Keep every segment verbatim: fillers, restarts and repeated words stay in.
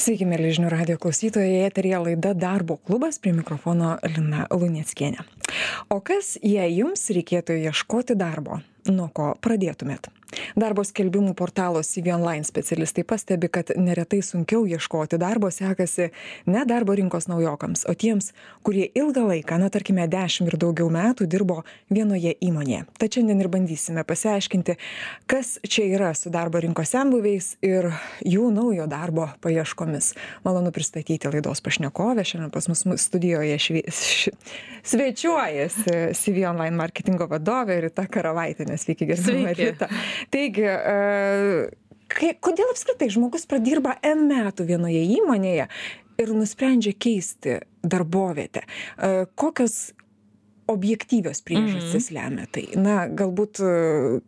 Sveiki, mėly žinių radijo klausytojai, eteryje laida Darbo klubas, prie mikrofono Lina Luneckienė. O kas, jei jums reikėtų ieškoti darbo? Nuo ko pradėtumėt? Darbo skelbimų portalo C V Online specialistai pastebi, kad neretai sunkiau ieškoti darbo sekasi ne darbo rinkos naujokams, o tiems, kurie ilgą laiką, na tarkime dešimt ir daugiau metų dirbo vienoje įmonėje. Tad šiandien ir bandysime pasiaiškinti, kas čia yra su darbo rinkos senbuviais ir jų naujo darbo paieškomis. Malonu pristatyti laidos pašnekovę. Šiandien pas mus studijoje švi, š, svečiuojasi C V Online marketingo vadovė Rita Karavaitienė. Sveiki, gerbiama Rita. Taigi, kai, kodėl apskritai žmogus pradirba N metų vienoje įmonėje ir nusprendžia keisti darbovietę? Kokios objektyvios priežastys mm. lemia tai? Na, galbūt,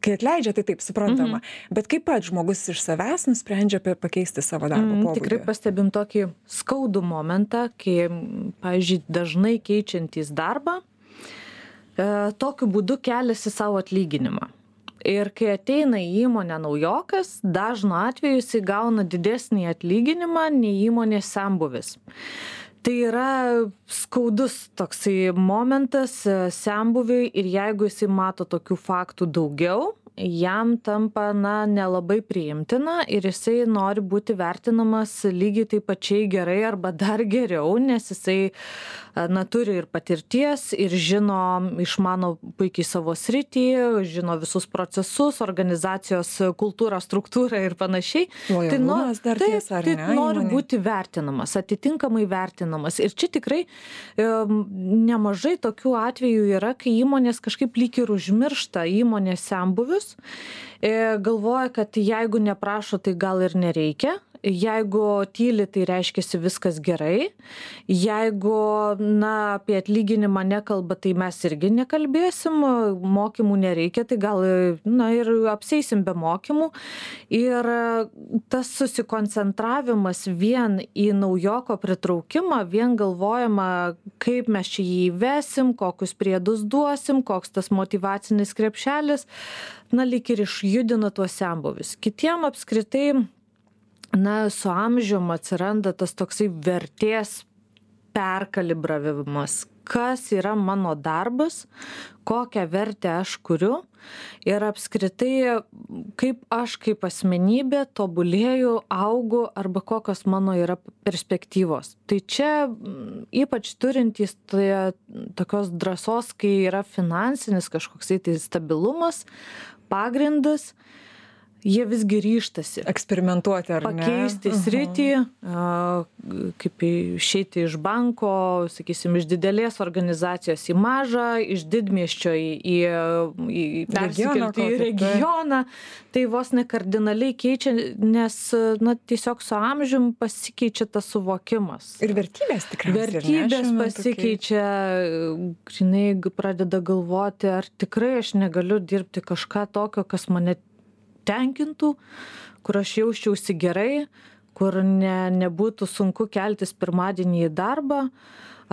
kai atleidžia, tai taip suprantama, mm-hmm. bet kaip pat žmogus iš savęs nusprendžia pakeisti savo darbo mm, pobūdį? Tikrai pastebim tokį skaudų momentą, kai, pavyzdžiui, dažnai keičiantys darbą, e, tokiu būdu keliasi savo atlyginimą. Ir kai ateina į įmonę naujokas, dažnu atveju jis gauna didesnį atlyginimą nei įmonės senbuvis. Tai yra skaudus toksai momentas senbuviui ir jeigu jis mato tokių faktų daugiau, jam tampa, na, nelabai priimtina ir jisai nori būti vertinamas lygiai taip pačiai gerai arba dar geriau, nes jisai, na, turi ir patirties ir žino, išmano puikiai savo sritį, žino visus procesus, organizacijos kultūrą, struktūrą ir panašiai. Lojalumas tai, dar tai, tiesa, ar tai ne? Nori būti vertinamas, atitinkamai vertinamas. Ir čia tikrai e, nemažai tokių atvejų yra, kai įmonės kažkaip lyg ir užmiršta įmonės senbuvius, galvoja, kad jeigu neprašo, tai gal ir nereikia. Jeigu tyli, tai reiškiasi viskas gerai. Jeigu, na, apie atlyginimą nekalba, tai mes irgi nekalbėsim. Mokymų nereikia, tai gal, na, ir apseisim be mokymų. Ir tas susikoncentravimas vien į naujoko pritraukimą, vien galvojama, kaip mes čia jį įvesim, kokius priedus duosim, koks tas motyvacinis krepšelis, na, lyg ir išjudina tuos senbuvius. Kitiem apskritai, na, su amžium atsiranda tas toksai vertės perkalibravimas. Kas yra mano darbas, kokią vertę aš kuriu ir apskritai, kaip aš kaip asmenybė tobulėju, augu arba kokios mano yra perspektyvos. Tai čia ypač turintys tai, tokios drąsos, kai yra finansinis kažkoksai tai stabilumas, pagrindas, jie visgi ryžtasi eksperimentuoti ar ne? Pakeisti sritį, uh-huh. kaip išeiti iš banko, sakysim, iš didelės organizacijos į mažą, iš didmiesčio į, į, į persikelti į regioną. Tai vos ne kardinaliai keičia, nes, na, tiesiog su amžium pasikeičia tas suvokimas. Ir vertybės tikriausiai. Vertybės pasikeičia, žinai, pradeda galvoti, ar tikrai aš negaliu dirbti kažką tokio, kas mane tenkintų, kur aš jausčiausi gerai, kur ne, nebūtų sunku keltis pirmadienį į darbą,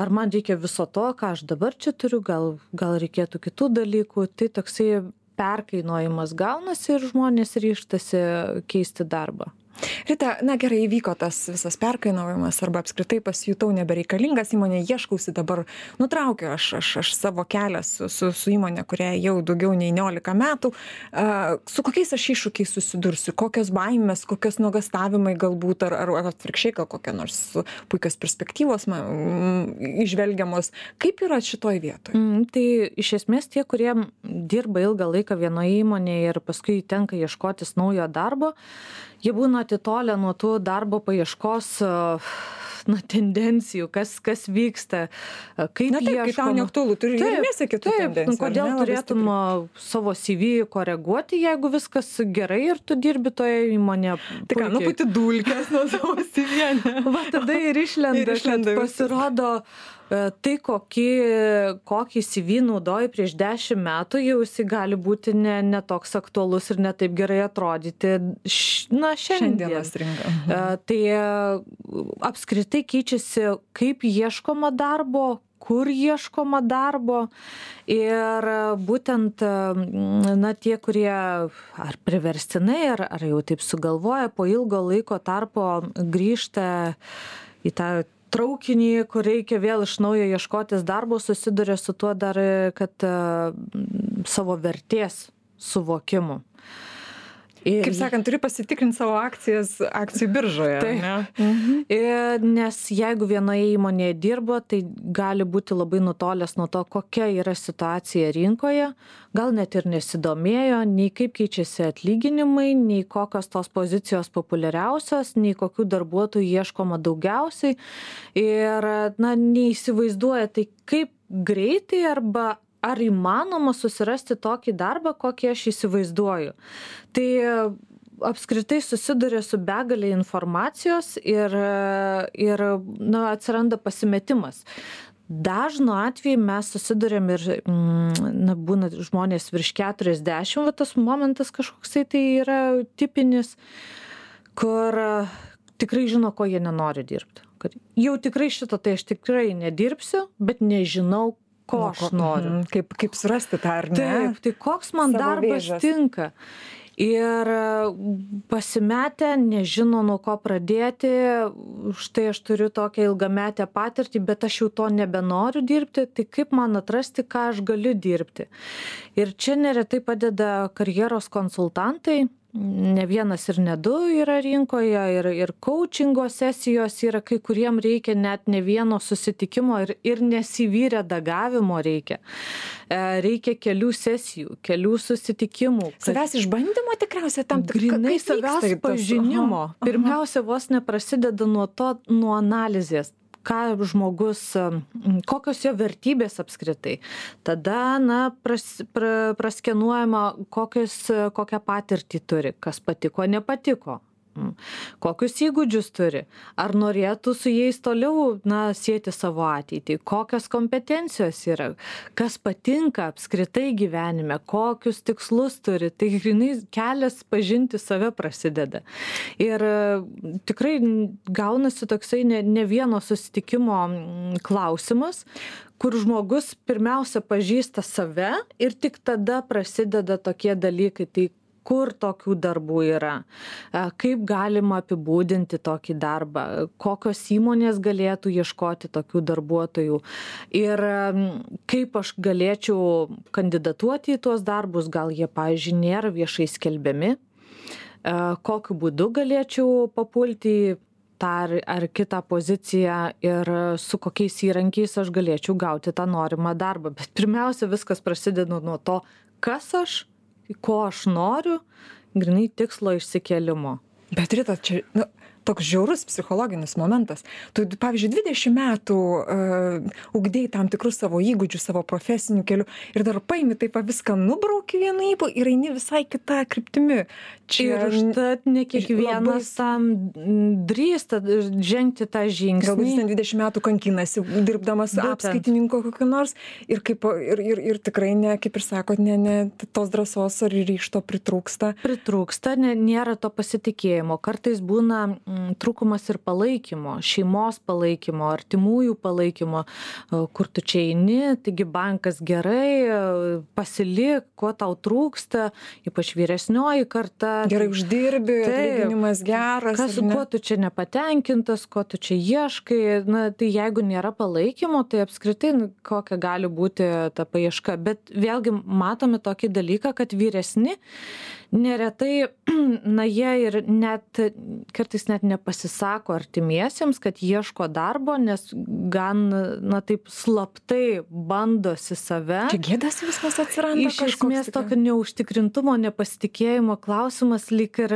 ar man reikia viso to, ką aš dabar čia turiu, gal, gal reikėtų kitų dalykų. Tai toksai perkainojimas gaunasi ir žmonės ryžtasi keisti darbą. Rita, na gerai, įvyko tas visas perkainojimas arba apskritai pasijutau nebereikalingas įmonė, ieškausi dabar, nutraukiu aš, aš, aš savo kelią su, su, su įmonė, kuria jau daugiau nei devyniolika metų. Uh, su kokiais aš iššūkiais susidursiu, kokios baimės, kokios nuogastavimai galbūt, ar, ar, ar atvirkščiai gal kokia nors puikios perspektyvos man, išvelgiamos. Kaip yra šitoj vietoje? Mm, tai iš esmės tie, kurie dirba ilgą laiką vienoje įmonėje ir paskui tenka ieškotis naujo darbo, jie būna atitolę nuo tų darbo paieškos, na, tendencijų, kas, kas vyksta, kaip na, taip, ieškom. Kai tau neaktualu, turi ir nesėkti tų tendencijų. Kodėl ne, turėtum savo C V koreguoti, jeigu viskas gerai ir tu dirbi toje įmonėje? Tai ką, nu pati dulkės nuo savo C V, ne? Va, tada ir išlenda, ir išlenda kad pasirodo, tai kokį, kokį C V naudoji prieš dešimt metų, jau jis gali būti ne, ne toks aktualus ir ne taip gerai atrodyti, na, šiandien. Šiandienos rinka. Mhm. Tai apskritai keičiasi, kaip ieškoma darbo, kur ieškoma darbo. Ir būtent, na, tie, kurie ar priverstinai, ar, ar jau taip sugalvoja, po ilgo laiko tarpo grįžta į tą traukinį, kur reikia vėl iš naujo ieškotis darbo, susiduria su tuo dar, kad savo vertės suvokimu. Ir, kaip sakant, turi pasitikrinti savo akcijas akcijų biržoje. Tai, ne? Mhm. Ir, nes jeigu vienoje įmonėje dirbo, tai gali būti labai nutolęs nuo to, kokia yra situacija rinkoje, gal net ir nesidomėjo, nei kaip keičiasi atlyginimai, nei kokios tos pozicijos populiariausios, nei kokių darbuotojų ieškoma daugiausiai. Ir, na, neįsivaizduoja, tai kaip greitai arba ar įmanoma susirasti tokį darbą, kokį aš įsivaizduoju. Tai apskritai susiduria su begalė informacijos ir, ir na, atsiranda pasimetimas. Dažnu atveju mes susidurėm ir, na, būna žmonės virš keturiasdešimt, va tas momentas kažkoksai tai yra tipinis, kur tikrai žino, ko jie nenori dirbti. Kad jau tikrai šito, tai aš tikrai nedirbsiu, bet nežinau, ko nu, aš noriu. Kaip, kaip surasti tą, ar ne? Taip, tai koks man Savo darbas vėžas. Tinka. Ir pasimetę, nežino, nuo ko pradėti, štai aš turiu tokią ilgametę patirtį, bet aš jau to nebenoriu dirbti, tai kaip man atrasti, ką aš galiu dirbti. Ir čia neretai padeda karjeros konsultantai, ne vienas ir ne du yra rinkoje, ir, ir coachingo sesijos yra, kai kuriem reikia net ne vieno susitikimo ir, ir nesivyrę dagavimo reikia. Reikia kelių sesijų, kelių susitikimų. Savęs išbandymo tikriausiai tam tikrai. Grinai savęs pažinimo. Aha, aha. Pirmiausia, vos neprasideda nuo to, nuo analizės. Ką žmogus, kokios jo vertybės apskritai. Tada, na, pras, pra, praskenuojama, kokios, kokią patirtį turi, kas patiko, nepatiko. Kokius įgūdžius turi, ar norėtų su jais toliau, na, sieti savo ateitį, kokios kompetencijos yra, kas patinka apskritai gyvenime, kokius tikslus turi, tai grinai kelias pažinti save prasideda. Ir tikrai gaunasi toksai ne, ne vieno susitikimo klausimas, kur žmogus pirmiausia pažįsta save ir tik tada prasideda tokie dalykai, tai kur tokių darbų yra, kaip galima apibūdinti tokį darbą, kokios įmonės galėtų ieškoti tokių darbuotojų ir kaip aš galėčiau kandidatuoti į tuos darbus, gal jie, pavyzdžiui, nėra viešai skelbiami, kokiu būdu galėčiau papulti į tą ar kitą poziciją ir su kokiais įrankiais aš galėčiau gauti tą norimą darbą. Bet pirmiausia, viskas prasideda nuo to, kas aš, ko aš noriu, grinai tikslo išsikėlimo. Bet Rita, čia nu, toks žiaurus psichologinis momentas. Tu, pavyzdžiui, dvidešimt metų uh, ugdėjai tam tikrus savo įgūdžius, savo profesinių kelių ir dar paimi taip viską nubrauki vienu ypu ir eini visai kitą kryptimi. Čia ir užtat ne kiekvienas tam drįsta žengti tą žingsnį. Galbūt jis ten dvidešimt metų kankinasi, dirbdamas apskaitininko kokio nors ir, kaip, ir, ir, ir tikrai, ne, kaip ir sakot, ne, ne, tos drąsos ar ryžto pritrūksta. Pritrūksta, ne, nėra to pasitikėjimo. Kartais būna trūkumas ir palaikymo, šeimos palaikymo, artimųjų palaikymo, kur tu čia eini, taigi bankas gerai, pasilik, ko tau trūksta, ypač vyresnioji karta. Gerai uždirbi, atlyginimas geras. Kas, kuo tu čia nepatenkintas, ko tu čia ieškai, na, tai jeigu nėra palaikymo, tai apskritai kokia gali būti ta paieška. Bet vėlgi matome tokį dalyką, kad vyresni neretai, na, jie ir net, kartais net nepasisako artimiesiems, kad ieško darbo, nes gan, na, taip slaptai bandosi save. Čia gėdas viskas atsiranda. Iš esmės tokio neužtikrintumo, nepasitikėjimo klausimas, lyg ir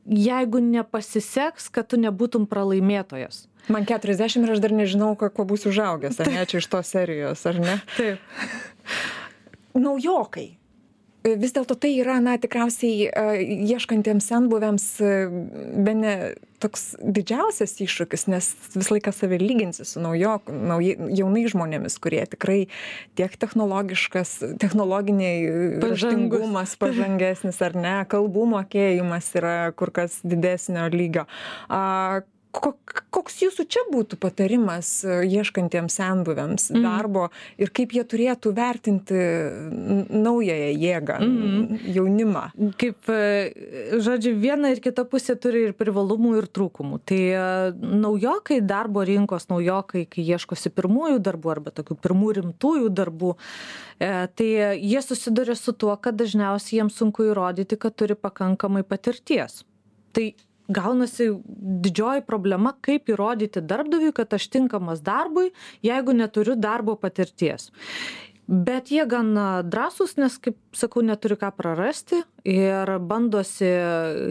jeigu nepasiseks, kad tu nebūtum pralaimėtojas. Man keturiasdešimt ir aš dar nežinau, kuo būsiu užaugęs, ar ne, čia iš tos serijos, ar ne? Taip. Naujokai. Vis dėlto tai yra, na, tikriausiai ieškantiems senbuviams bene toks didžiausias iššūkis, nes visą laiką save lyginsi su naujok, nauji, jaunai žmonėmis, kurie tikrai tiek technologiškas, technologiniai raštingumas pažangesnis ar ne, kalbų mokėjimas yra kur kas didesnio lygio. A, koks jūsų čia būtų patarimas ieškantiems senbuviams mm. darbo ir kaip jie turėtų vertinti naująją jėgą, mm. jaunimą? Kaip, žodžiu, viena ir kita pusė turi ir privalumų, ir trūkumų. Tai naujokai darbo rinkos, naujokai, kai ieškosi pirmųjų darbų arba tokių pirmų rimtųjų darbų, tai jie susiduria su tuo, kad dažniausiai jiems sunku įrodyti, kad turi pakankamai patirties. Tai gaunasi didžioji problema, kaip įrodyti darbdaviui, kad aš tinkamas darbui, jeigu neturiu darbo patirties. Bet jie gan drąsūs, nes, kaip sakau, neturi ką prarasti ir bandosi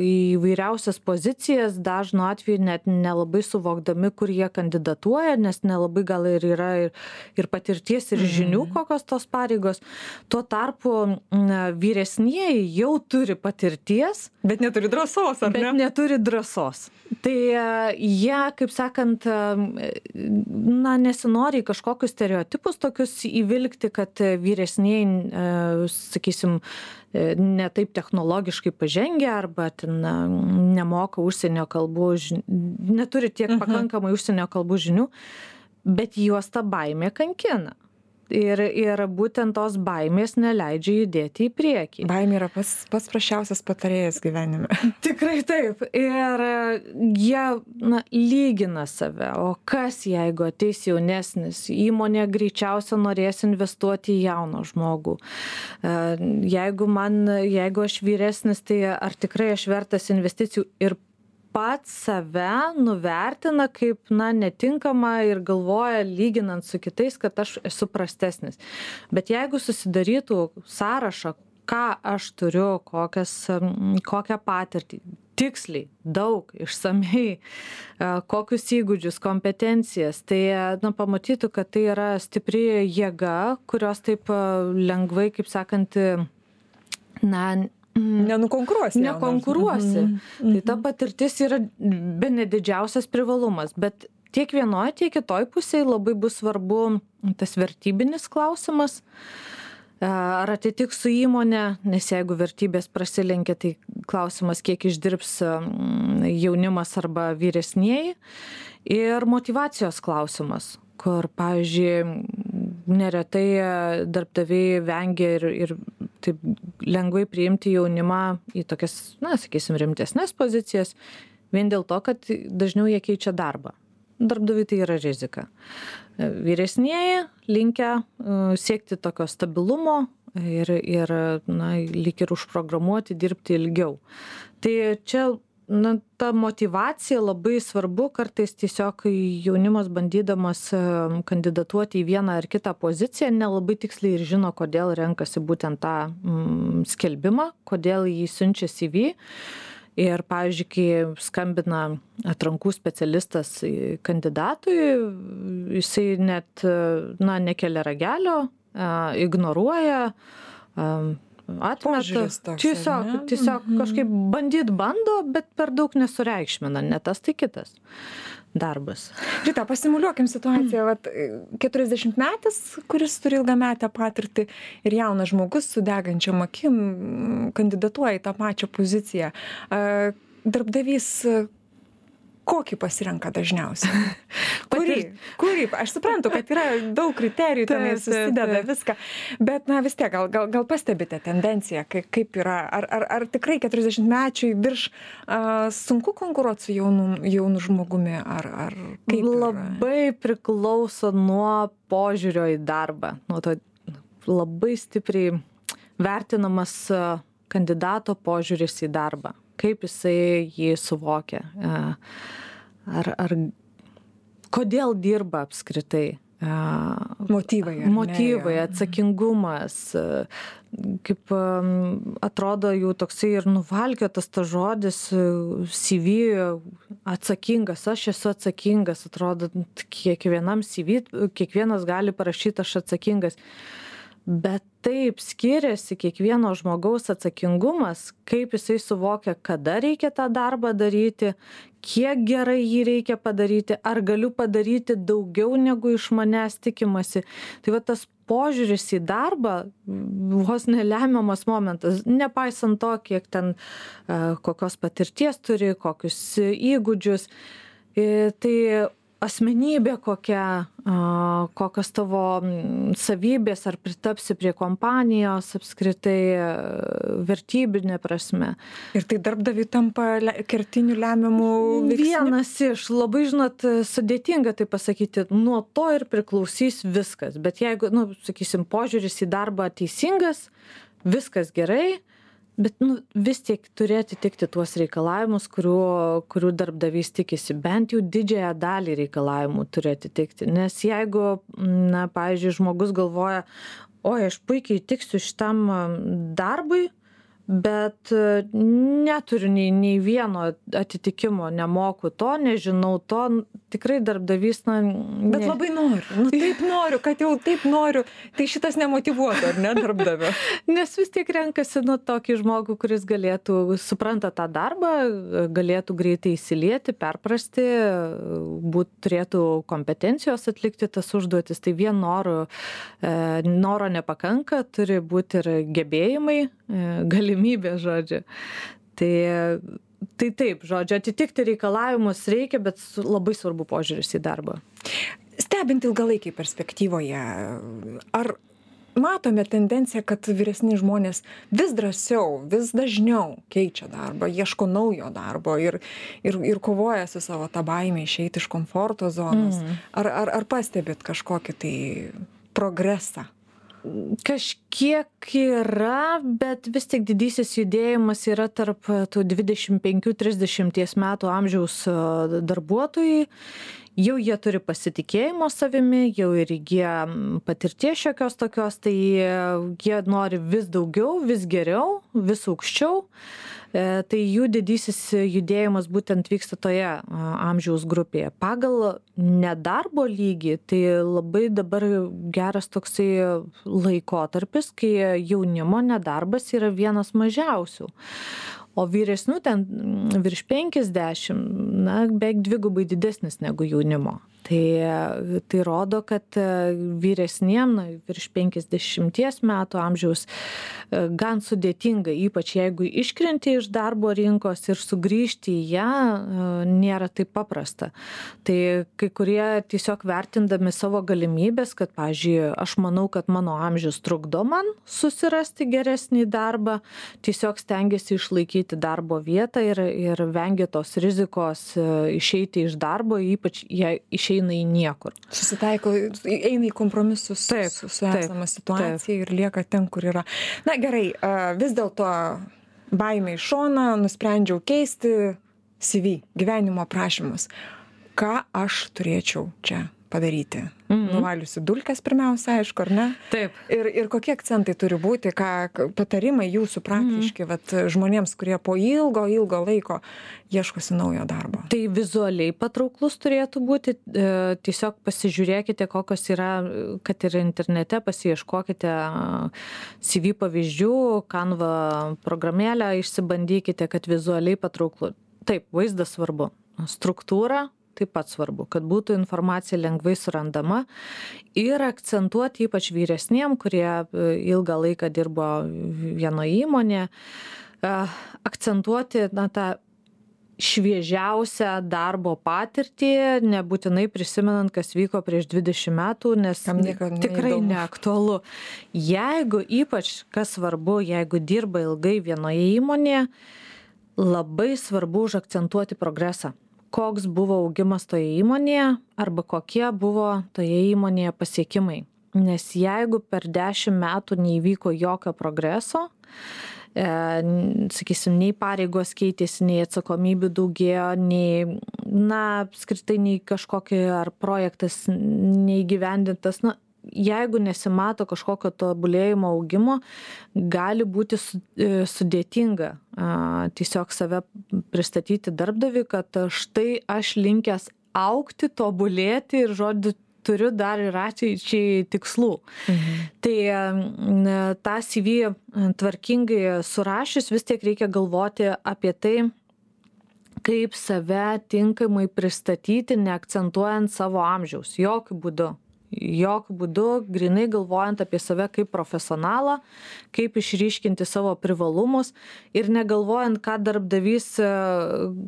į įvairiausias pozicijas, dažnu atveju net nelabai suvokdami, kur jie kandidatuoja, nes nelabai gal ir yra ir, ir patirties, ir žinių, kokios tos pareigos. Tuo tarpu na, vyresnieji jau turi patirties, bet neturi drąsos, ar ne? Bet neturi drąsos. Tai jie, kaip sakant, na, nesinori į kažkokius stereotipus tokius įvilkti, kad vyresnieji, sakysim, ne taip technologiškai pažengę arba ten nemoka užsienio kalbų, neturi tiek pakankamai užsienio kalbų žinių, bet juos ta baimė kankina. Ir, ir būtent tos baimės neleidžia judėti į priekį. Baimė yra pats, pats prašiausias patarėjas gyvenime. Tikrai taip. Ir jie na, lygina save. O kas, jeigu ateis jaunesnis? Įmonė greičiausia norės investuoti į jauną žmogų. Jeigu, man, jeigu aš vyresnis, tai ar tikrai aš vertas investicijų? Ir pats save nuvertina kaip na, netinkamą ir galvoja, lyginant su kitais, kad aš esu prastesnis. Bet jeigu susidarytų sąrašą, ką aš turiu, kokias, kokią patirtį, tiksliai, daug, išsamei, kokius įgūdžius, kompetencijas, tai na, pamatytų, kad tai yra stipri jėga, kurios taip lengvai, kaip sakant, na, Nenukonkuruosi. Nekonkuruosi. Mm-hmm. Tai ta patirtis yra bene didžiausias privalumas, bet tiek vienoje, tiek kitoj pusėje labai bus svarbu tas vertybinis klausimas, ar atitiks su įmonė, nes jeigu vertybės prasilenkia, tai klausimas, kiek išdirbs jaunimas arba vyresnieji, ir motyvacijos klausimas, kur, pavyzdžiui, neretai darbdaviai vengia ir, ir taip lengvai priimti jaunimą į tokias, na, sakysim, rimtesnės pozicijas, vien dėl to, kad dažniau jie keičia darbą. Darbdaviui tai yra rizika. Vyresnieji linkę siekti tokio stabilumo ir, ir na, lyg ir užprogramuoti dirbti ilgiau. Tai čia na, ta motyvacija labai svarbu, kartais tiesiog jaunimas bandydamas kandidatuoti į vieną ar kitą poziciją nelabai tiksliai ir žino, kodėl renkasi būtent tą mm, skelbimą, kodėl jį siunčia C V. Ir, pavyzdžiui, kai skambina atrankų specialistas kandidatui, jisai net na, nekelia ragelio, ignoruoja, atmeta. Tiesiog, ne? tiesiog mm-hmm. kažkaip bandyt bando, bet per daug nesureikšmina, ne tas tai kitas darbas. Rita, pasimuliuokim situaciją, vat keturiasdešimtmetis, kuris turi ilgametę patirtį ir jaunas žmogus su degančiom akim kandidatuoja į tą pačią poziciją. Darbdavys kokį pasirenka dažniausiai? Kurį? Kurį? Aš suprantu, kad yra daug kriterijų, tenai susideda viską, bet na vis tiek, gal, gal, gal pastebite tendenciją, kaip, kaip yra, ar, ar, ar tikrai keturiasdešimtmečiui virš uh, sunku konkuruoti su jaunu, jaunu žmogumi, ar, ar kaip yra? Labai priklauso nuo požiūrio į darbą, nuo to labai stipriai vertinamas kandidato požiūris į darbą, kaip jisai jį suvokia, ar, ar kodėl dirba apskritai. Motyvai. Motyvai, atsakingumas, kaip atrodo jų toksai ir nuvalkiotas tas žodis C V, atsakingas, aš esu atsakingas, atrodo kiekvienam C V, kiekvienas gali parašyti aš atsakingas. Bet taip skiriasi kiekvieno žmogaus atsakingumas, kaip jisai suvokia, kada reikia tą darbą daryti, kiek gerai jį reikia padaryti, ar galiu padaryti daugiau negu iš manęs tikimasi. Tai va tas požiūris į darbą vos nelemiamas momentas, nepaisant to, kiek ten kokios patirties turi, kokius įgūdžius. E, tai asmenybė kokia, a, kokios tavo mm, savybės, ar pritapsi prie kompanijos apskritai a, vertybinė prasme. Ir tai darbdaviui tampa le, kertinių lemiamų veiksnių. Vienas iš, labai, žinot, sudėtinga tai pasakyti, nuo to ir priklausys viskas. Bet jeigu, nu, sakysim, požiūris į darbą teisingas, viskas gerai, bet nu, vis tiek turi atitikti tuos reikalavimus, kurių, kurių darbdavys tikisi. Bent jau didžiąją dalį reikalavimų turi atitikti. Nes jeigu, na, pavyzdžiui, žmogus galvoja, oi, aš puikiai tiksiu šitam darbui, bet neturiu nei, nei vieno atitikimo, nemoku to, nežinau to, tikrai darbdavys, na... Ne. Bet labai noriu, nu taip noriu, kad jau taip noriu, tai šitas nemotyvuotų, ar ne, darbdavio? Nes vis tiek renkasi nu tokį žmogų, kuris galėtų, supranta tą darbą, galėtų greitai įsilieti, perprasti, būt, turėtų kompetencijos atlikti tas užduotis, tai vien noro, noro nepakanka, turi būti ir gebėjimai, galimybė, žodžiu. Tai, tai taip, žodžiu, atitikti reikalavimus reikia, bet labai svarbu požiūris į darbą. Stebint ilgalaikiai perspektyvoje, ar matome tendenciją, kad vyresni žmonės vis drąsiau, vis dažniau keičia darbą, ieško naujo darbo ir, ir, ir kovoja su savo tą baimę išeiti iš komforto zonos? Mm. Ar, ar, ar pastebit kažkokį tai progresą? Kažkiek yra, bet vis tik didysis judėjimas yra tarp tų dvidešimt penkių trisdešimt metų amžiaus darbuotojai. Jau jie turi pasitikėjimo savimi, jau ir įgyja patirties šiokios tokios, tai jie nori vis daugiau, vis geriau, vis aukščiau. Tai jų didysis judėjimas būtent vyksta toje amžiaus grupėje. Pagal nedarbo lygį, tai labai dabar geras toksai laikotarpis, kai jaunimo nedarbas yra vienas mažiausių. O vyresnių ten virš penkiasdešimt, na, beveik dvigubai didesnis negu jaunimo. Tai, tai rodo, kad vyresniem, na, virš penkiasdešimties metų amžiaus gan sudėtinga, ypač jeigu iškrenti iš darbo rinkos ir sugrįžti į ją, nėra taip paprasta. Tai kai kurie tiesiog vertindami savo galimybės, kad, pavyzdžiui, aš manau, kad mano amžius trukdo man susirasti geresnį darbą, tiesiog stengiasi išlaikyti darbo vietą ir, ir vengia tos rizikos išeiti iš darbo, ypač jei išeina į niekur. Susitaiko, eina į kompromisus taip, su, su esama situacija taip. Ir lieka ten, kur yra. Na gerai, vis dėlto baimė į šoną, nusprendžiau keisti C V, gyvenimo aprašymus. Ką aš turėčiau čia padaryti? Mm-hmm. Nuvaliusi dulkes pirmiausia, aišku, ar ne? Taip. Ir, ir kokie akcentai turi būti, ką patarimai jūsų praktiški, mm-hmm. vat, žmonėms, kurie po ilgo, ilgo laiko ieškosi naujo darbo? Tai vizualiai patrauklus turėtų būti. E, tiesiog pasižiūrėkite, kokios yra, kad ir internete pasiieškokite C V pavyzdžių, Canva programėlę išsibandykite, kad vizualiai patrauklu. Taip, vaizdas svarbu. Struktūra taip pat svarbu, kad būtų informacija lengvai surandama ir akcentuoti ypač vyresniem, kurie ilgą laiką dirbo vienoje įmonėje, akcentuoti na, tą šviežiausią darbo patirtį, nebūtinai prisimenant, kas vyko prieš dvidešimt metų, nes tikrai neaktualu. Jeigu ypač, kas svarbu, jeigu dirba ilgai vienoje įmonėje, labai svarbu užakcentuoti progresą. Koks buvo augimas toje įmonėje arba kokie buvo toje įmonėje pasiekimai. Nes jeigu per dešimt metų neįvyko jokio progreso, e, sakysim, nei pareigos keitėsi, nei atsakomybių daugėjo, nei, na, apskritai, nei kažkokie ar projektas neįgyvendintas, na, jeigu nesimato kažkokio tobulėjimo augimo, gali būti sudėtinga tiesiog save pristatyti darbdaviui, kad štai aš linkęs augti, tobulėti ir žodžiu turiu dar ir ateičiai tikslų. Mhm. Tai tą C V tvarkingai surašius vis tiek reikia galvoti apie tai, kaip save tinkamai pristatyti, neakcentuojant savo amžiaus. Jokių būdų. Jokių būdų, grinai galvojant apie save kaip profesionalą, kaip išryškinti savo privalumus ir negalvojant, ką darbdavys,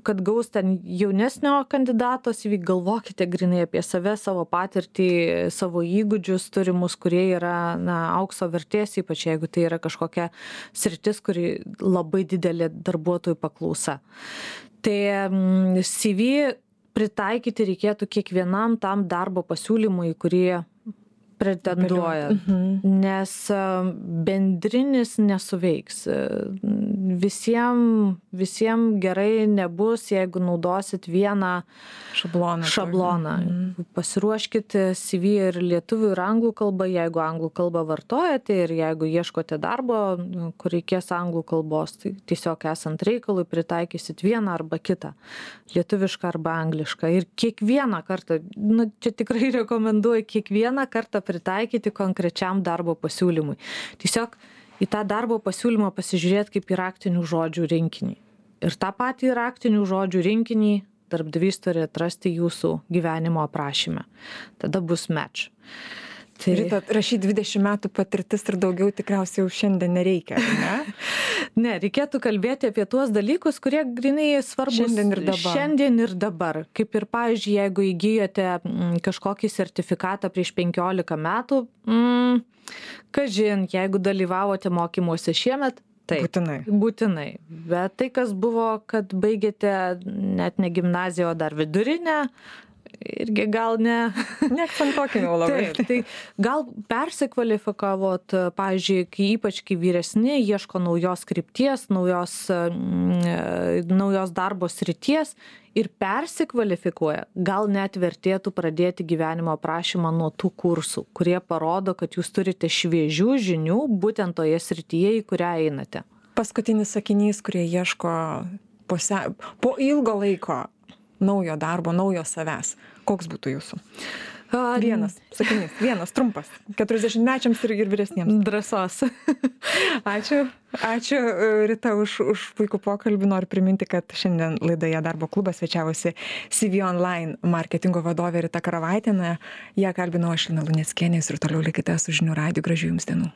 kad gaus ten jaunesnio kandidato, įvyk, galvokite grinai apie save, savo patirtį, savo įgūdžius turimus, kurie yra na, aukso vertės, ypač jeigu tai yra kažkokia sritis, kuri labai didelė darbuotojų paklausa. Tai C V pritaikyti reikėtų kiekvienam tam darbo pasiūlymui, kurį pretenduoja, mhm. nes bendrinis nesuveiks. Visiem, visiem gerai nebus, jeigu naudosit vieną šabloną. šabloną. Mhm. Pasiruoškit C V ir lietuvių ir anglų kalbą, jeigu anglų kalbą vartojate ir jeigu ieškote darbo, kur reikės anglų kalbos, tai tiesiog esant reikalui pritaikysit vieną arba kitą, lietuvišką arba anglišką. Ir kiekvieną kartą, nu, čia tikrai rekomenduoju, kiekvieną kartą pritaikyti konkrečiam darbo pasiūlymui. Tiesiog į tą darbo pasiūlymą pasižiūrėti kaip į raktinių žodžių rinkinį. Ir tą patį raktinių žodžių rinkinį darbdavys turi atrasti jūsų gyvenimo aprašyme. Tada bus match. Tai... Rita, rašyti dvidešimt metų patirtis ir daugiau tikriausiai jau šiandien nereikia, ne? Ne, reikėtų kalbėti apie tuos dalykus, kurie grinai svarbus šiandien ir dabar. Šiandien ir dabar. Kaip ir, pavyzdžiui, jeigu įgijote kažkokį sertifikatą prieš penkiolika metų, mm, kažin, jeigu dalyvavote mokymuose šiemet, taip, būtinai. Būtinai. Bet tai, kas buvo, kad baigėte net ne gimnaziją, o dar vidurinę, irgi gal ne. Neakcentuokime jau labai. Taip, tai gal persikvalifikavot, pavyzdžiui, kai ypač kai vyresni ieško naujos krypties, naujos, naujos darbo srities ir persikvalifikuoja, gal net vertėtų pradėti gyvenimo aprašymą nuo tų kursų, kurie parodo, kad jūs turite šviežių žinių būtent toje srityje, į kurią einate. Paskutinis sakinys, kurie ieško po, se... po ilgo laiko naujo darbo, naujo savęs. Koks būtų jūsų? Vienas sakinys, vienas, trumpas. keturiasdešimtmečiams ir, ir vyresniems. Drąsos. Ačiū. Ačiū, Rita, už, už puikų pokalbį. Noriu priminti, kad šiandien laidoje Darbo klubas svečiavosi C V Online marketingo vadovė Rita Karavaitienė. Ją kalbinau aš, Lina Luneckienė, ir toliau likite su žinių radiju. Gražių jums dienų.